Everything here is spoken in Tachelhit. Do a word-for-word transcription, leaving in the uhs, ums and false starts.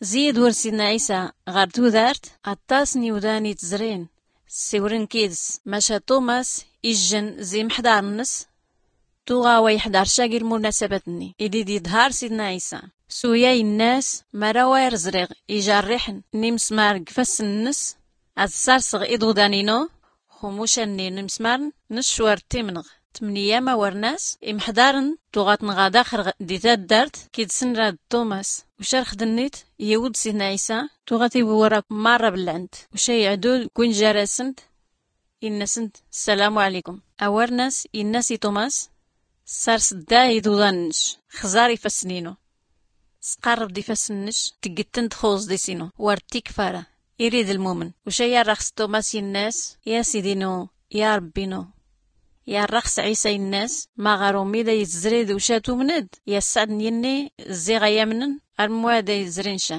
Zid wur sidna ɛisa ɣer tudart, aṭas n iwdan i tzrin ssiwren kids. Maca tumas ijjn zi mḥḍar nns, tuɣa wa iḥḍar ca gi lmunasabat nni id id iḍhar sidna ɛisa. S uya innas, mara wa ir ẓriɣ ijarriḥn n imsmar g ifassn nns, ad ssarsɣ iḍudan inu x umucan nni n imsmarn nns. War timnɣ tmniyam a wurnas imḥḍarn, tuɣa tnɣa daxr di taddart kid snra d tumas. Ucar xdnnit, iwd sidna ɛisa, tuɣa tiwwura marra bllɛnt. Uca iɛdud gwin jarasnt, innsnt ssalamu ɛlikum. A wurnas innas i tumas, ssars dda iḍudan nnc, xẓar ifassn inu, sqarrb d ifassn nnc, tgtn d xuẓ d isinu. War tikfara, irid lmumn. Uca yarrax s tumas innas, ya sidi inu, ya rbbi inu. Yarrax s ɛisa innas, ma ɣer ummi da itzri d uca tumnd, ya ssɛd n yinni ziɣ a yamnn, armwa da itzri nca.